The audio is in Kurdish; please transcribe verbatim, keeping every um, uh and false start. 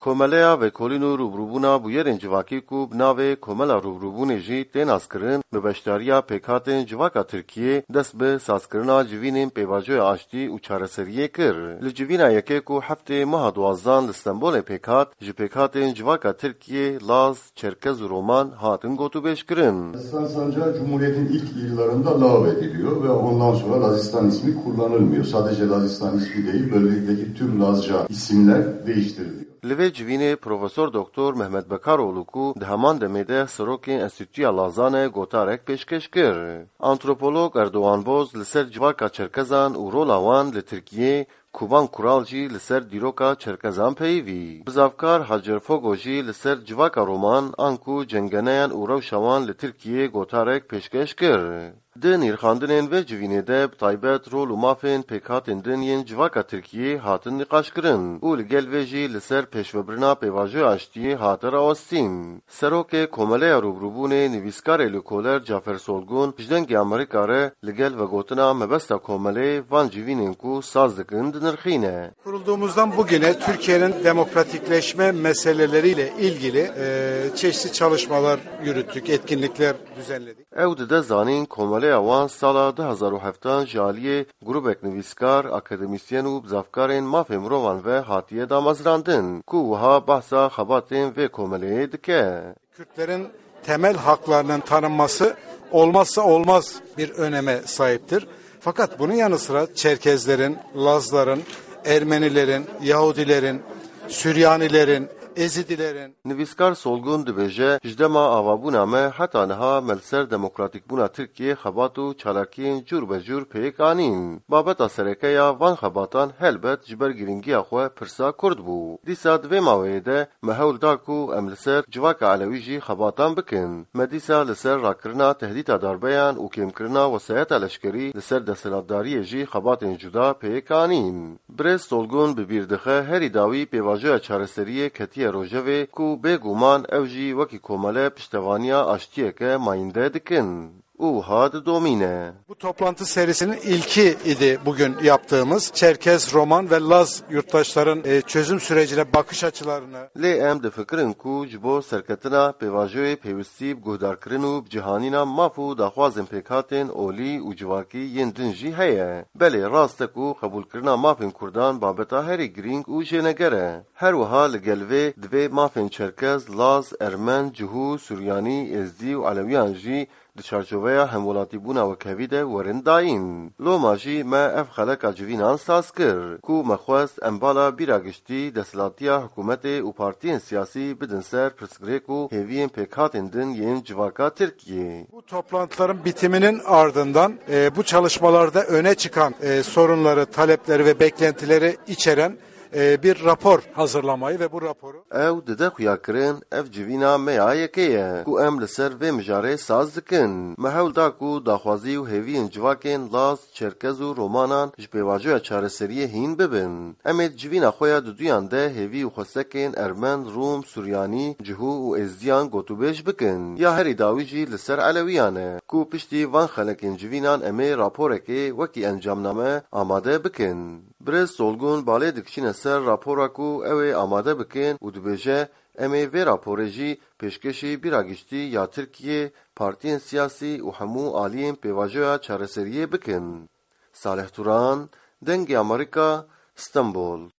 Komeleya Vekolîn û Rûbirûbûna Bûyerên Civakî ku bi navê Komela Rûbirûbûnê jî tê naskirin, bi beşdariya pêkhatên civaka Tirkiyê dest bi sazkirina civînên pêvajoya aştî û çareseriyê kir. Li civîna yekê ku heftê meha duwazdan li Stenbolê pêk hat, ji pêkhatên civaka Tirkiyê, Laz, Çerkez û Roman hatin gotûbêjkirin. Lazistan sancağı Cumhuriyet'in ilk yıllarında lağvediliyor ve ondan sonra Lazistan ismi kullanılmıyor. Sadece Lazistan ismi değil, bölgedeki tüm Lazca isimler değiştiriliyor. Li vê civînê Profesor Doktor Mehmet Bekaroğlu ku di heman demê de serokê Enstîtuya Lazan e, gotarek pêşkêş kir. Antropolog Erdoğan Boz li ser civaka Çerkezan û rola wan li Tirkiyê, Kuban Kural jî li ser dîroka Çerkezan peyivî. Bizavkar Hacer Fogo jî li ser civaka Roman, anku cengeneyan û rewşa wan li Tirkiyê gotarek pêşkêş kir. Di nirxandinên vê civînê de bi taybet rol û mafên pêkhatên din yên civaka Tirkiyê hatin nîqaşkirin û li gel vê jî li ser pêşvebirina pêvajoya aştiyê hate rawestîn. Serokê Komeleya Rûbirûbûnê, nivîskarê lêkoler Cafer Solgun ji Dengê Amerîka re li gel vegotina mebesta komelê van civînên ku saz dikin dinirxîne. Kurulduğumuzdan bugüne Türkiye'nin demokratikleşme meseleleriyle ilgili e, çeşitli çalışmalar yürüttük, etkinlikler düzenledik. Ew dide zanîn, komeleya wan sala du hezar û heft ji aliyê grûbek nivîskar, akademîsyen û bizavkarên mafê mirovan ve hatiye damezrandin, ku wiha behsa xebatên vê komeleyê dike. Kürtlerin temel haklarının tanınması olmazsa olmaz bir öneme sahiptir. Fakat bunun yanı sıra Çerkezlerin, Lazların, Ermenilerin, Yahudilerin, Süryanilerin, Ezidilerin, Nivîskar Solgun dibêje, ji dema avabûna me heta niha me li ser demokratîkbûna Tirkiyê xebat û çalakiyên cûr be cûr pêk anîn. Babeta sereke ya van xebatan helbet ji ber girîngiya xwe pirsa Kurd bû. Dîsa di vê maweyê de me hewl da ku em li ser civaka Elewî jî xebatan bikin. Me dîsa li ser rakirina tehdîta darbeyan û kêmkirina wesayeta leşkerî li ser desthilatdariyê jî xebatên cuda pêk anîn. Birêz Solgun bi bîr dixe, herî dawî pêvajoya çareseriyê ketiye rojevê ku bêguman ew jî wekî komele piştevaniya aştiyeke mayînde dikin. Û wiha didomîne. Bu toplantı serisinin ilki idi bugün yaptığımız. Çerkez, Roman ve Laz yurttaşların e, çözüm sürecine bakış açılarını Lê em difikirin ku ji bo serketina pêvajoyê pêwistî bi guhdarkirin û bi cihanîna maf û daxwazên pêkhatên olî û civakî yên din jî heye. Belê, rast e ku qebûlkirina mafên Kurdan babeta herî girîng û jêneger e. Her wiha li gel vê divê mafên Çerkez, Laz, Ermen, Cihû, Suryanî, Êzdî û Elewiyan jî di çarçoveya hemwelatîbûna wekhevî de werin dayîn. Loma jî me ev xeleka civînan saz kir, ku me xwest em bala bîra giştî, desthilatiya hikûmetê û partiyên siyasî bidin ser pirsgirêk û hêviyên pêkhatên din yên civaka Tirkiyê. Bu toplantıların bitiminin ardından e, bu çalışmalarda öne çıkan e, sorunları, talepleri ve beklentileri içeren e, bir rapor hazırlamayı ve bu raporu Ew dide xuyakirin, ev civîna me ya yekê ye ku em li ser vê mijarê saz dikin. Me hewl da ku daxwazî û hêviyên civakên Laz, Çerkez û Romanan ji pêvajoya çareseriyê hîn bibin. Em ê di civîna xwe ya duduyan de hêvî û xwestekên Ermen, Rûm, Suryanî, Cihû û Êzdiyan gotûbêj bikin. Ya herî dawî jî li ser Elewiyan e, ku piştî van xelekên civînan em ê raporekê wekî encamname amade bikin. Birêz Solgun balê dikişîne ser rapora ku ew ê amade bikin û dibêje, em ê vê raporê jî pêşkêşî bîra giştî ya Tirkiyê, partiyên siyasî û hemû aliyên pêvajoya çareseriyê bikin. Salih Turan, Dengê Amerîka, Stenbol.